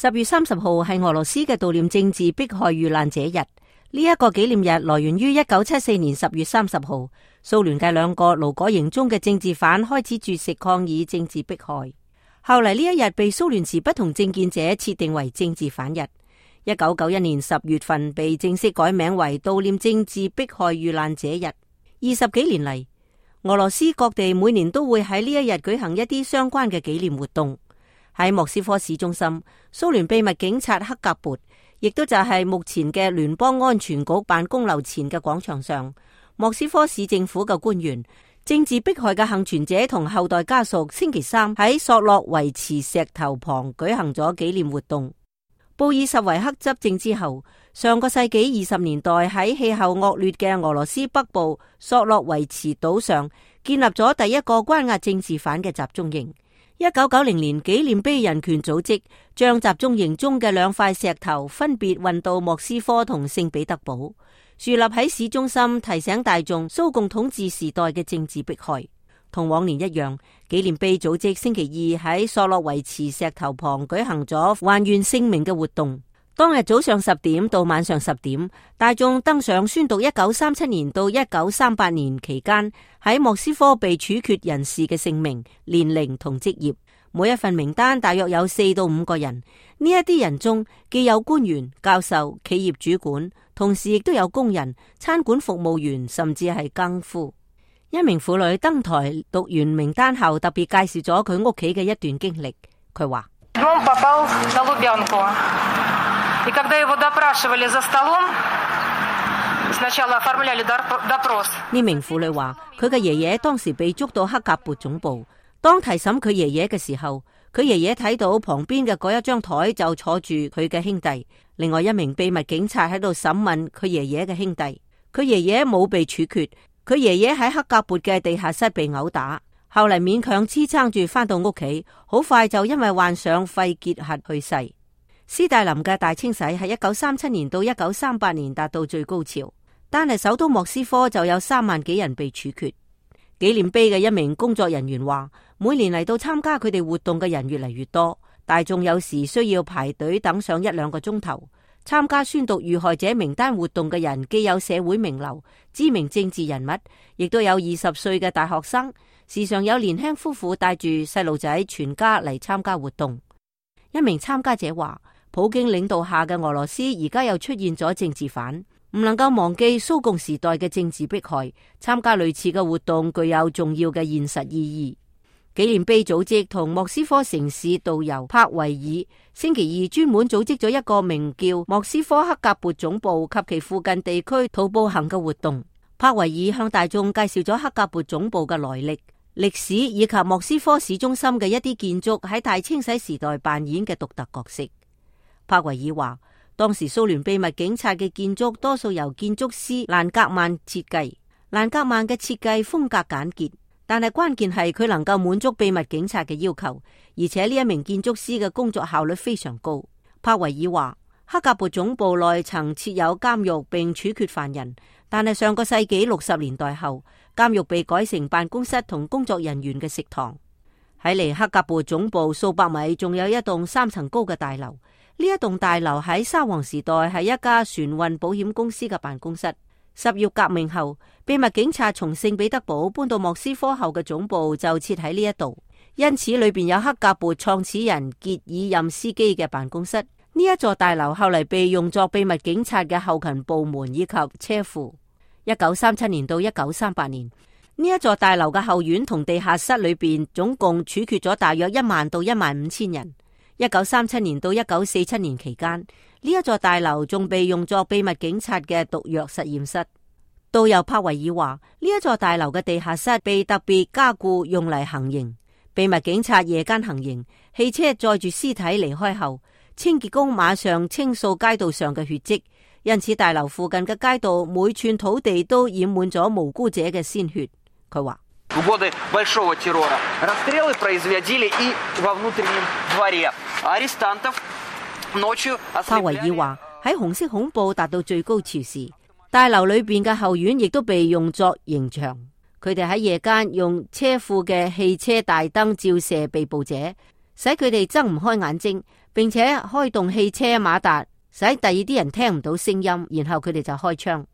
10月30號係俄羅斯嘅悼念政治迫害遇難者日。呢一個紀念日來源於1974年10月30號，蘇聯嘅2個勞改營中嘅政治犯開始絕食抗議政治迫害。後嚟呢一日被蘇聯持不同政見者設定為政治犯日。1991年10月份被正式改名為悼念政治迫害遇難者日。20幾年嚟，俄羅斯各地每年都會喺呢一日舉行一啲相關嘅紀念活動。喺莫斯科市中心，蘇聯秘密警察克格勃，亦都就係目前嘅聯邦安全局辦公樓前嘅廣場上，莫斯科市政府嘅官員、政治迫害嘅幸存者同後代家屬星期三喺索洛維茨石頭旁舉行咗紀念活動。布爾什維克執政之後，上個世紀20年代喺氣候惡劣嘅俄羅斯北部索洛維茨島上建立咗第一個關押政治犯嘅集中營。1990年，紀念碑人權組織將集中營中嘅2塊石頭分別運到莫斯科同聖彼得堡，豎立喺市中心，提醒大眾蘇共統治時代嘅政治迫害。同往年一樣，紀念碑組織星期二喺索洛維茨石頭旁舉行咗還原姓名嘅活動。當日早上10點到晚上10點，大眾登上宣讀1937年到1938年期間喺莫斯科被處決人士嘅姓名、年齡同職業。每一份名單大約有4到5個人。呢一啲人中既有官員、教授、企業主管，同時亦都有工人、餐館服務員，甚至係更夫。一名婦女登台讀完名單後，特別介紹咗佢屋企嘅一段經歷。佢話：呢名婦女話，佢嘅爺爺當時被捉到克格勃總部，當提審佢爺爺嘅時候，佢爺爺睇到旁邊嘅嗰一張台就坐住佢嘅兄弟，另外一名秘密警察喺度審問佢爺爺嘅兄弟。佢爺爺冇被處決，佢爺爺喺克格勃嘅地下室被毆打，後嚟勉強支撐住返到屋企，好快就因為患上肺結核去世。斯大林嘅大清洗喺1937年到1938年達到最高潮，單係首都莫斯科就有3萬幾人被處決。紀念碑嘅一名工作人員話，每年嚟到參加佢哋活動嘅人越嚟越多，大眾有時需要排隊等上1-2個鐘頭。參加宣讀遇害者名單活動嘅人既有社會名流、知名政治人物，亦都有20歲嘅大學生，時常有年輕夫婦帶住細路仔全家嚟參加活動。一名參加者話，普京領導下嘅俄羅斯而家又出現咗政治犯，唔能夠忘記蘇共時代嘅政治迫害，參加類似嘅活動具有重要嘅現實意義。紀念碑組織同莫斯科城市導遊帕維爾星期二專門組織咗一個名叫莫斯科克格勃總部及其附近地區徒步行嘅活動。帕維爾向大眾介紹咗克格勃總部嘅來歷、歷史以及莫斯科市中心嘅一啲建築喺大清洗時代扮演嘅獨特角色。帕維爾話，當時蘇聯秘密警察嘅建築多數由建築師蘭格曼設計，蘭格曼嘅設計風格簡潔，但係關鍵係佢能夠滿足秘密警察嘅要求，而且呢一名建築師嘅工作效率非常高。帕維爾話，克格勃總部內曾設有監獄並處決犯人，但係上個世紀60年代後，監獄被改成辦公室同工作人員嘅食堂。喺離克格勃總部數百米，仲有一棟3層高嘅大樓。呢一棟大樓喺沙皇時代係一家船運保險公司嘅辦公室。10月革命後，秘密警察從聖彼得堡搬到莫斯科後嘅總部就設喺呢一度，因此裏邊有克格勃創始人傑爾任斯基嘅辦公室。呢一座大樓後嚟被用作秘密警察嘅後勤部門以及車庫。1937年到1938年，呢一座大樓嘅後院同地下室裏邊總共處決咗大約1萬到15000人。1937年到1947年期間，呢一座大樓仲被用作秘密警察嘅毒藥實驗室。導遊帕維爾話，呢一座大樓嘅地下室被特別加固用嚟行刑。秘密警察夜間行刑，汽車載住屍體離開後，清潔工馬上清掃街道上嘅血跡，因此大樓附近嘅街道每寸土地都染滿咗無辜者嘅鮮血。佢話，В годы большого террора расстрелы производили и во внутреннем дворе. Арестантов ночью ослепляли. 帕維爾話，喺紅色恐怖達到最高潮時，大樓裏邊嘅後院亦都被用作刑場。佢哋喺夜間用車庫嘅汽車大燈照射被捕者，使佢哋睜唔開眼睛，並且開動汽車馬達，使第二啲人聽唔到聲音，然後佢哋就開槍。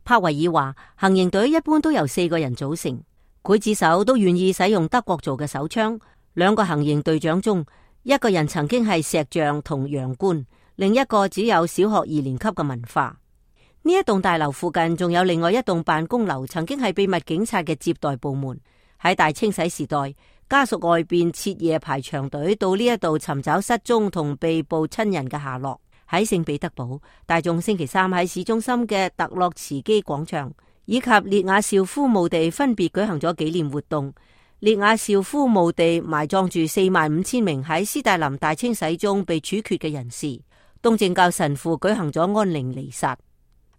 帕維爾話，行刑隊一般都由4個人組成，劊子手都願意使用德國做嘅手槍。2個行刑隊長中，一個人曾經係石匠同洋官，另一個只有小學2年級嘅文化。呢一棟大樓附近仲有另外一棟辦公樓，曾經係秘密警察嘅接待部門。喺大清洗時代，家屬外邊徹夜排長隊到呢一度尋找失蹤同被捕親人嘅下落。喺聖彼得堡，大眾星期3喺市中心嘅特洛茨基廣場以及列亞紹夫墓地分別舉行咗紀念活動。列亞紹夫墓地埋葬住45000名喺斯大林大清洗中被處決嘅人士。東正教神父舉行咗安寧彌撒。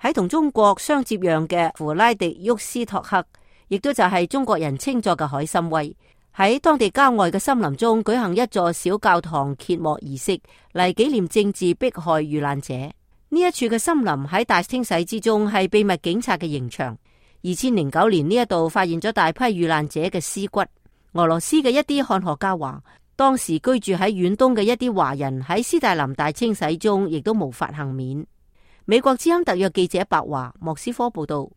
喺同中國相接壤嘅弗拉迪沃斯托克，亦都就係中國人稱作嘅海參崴，喺當地郊外嘅森林中舉行一座小教堂揭幕儀式，嚟紀念政治迫害遇難者。呢一處嘅森林喺大清洗之中係秘密警察嘅刑場。2009年呢一度發現咗大批遇難者嘅屍骨。俄羅斯嘅一啲漢學家話，當時居住喺遠東嘅一啲華人喺斯大林大清洗中亦都無法幸免。美國之音特約記者白華莫斯科報道。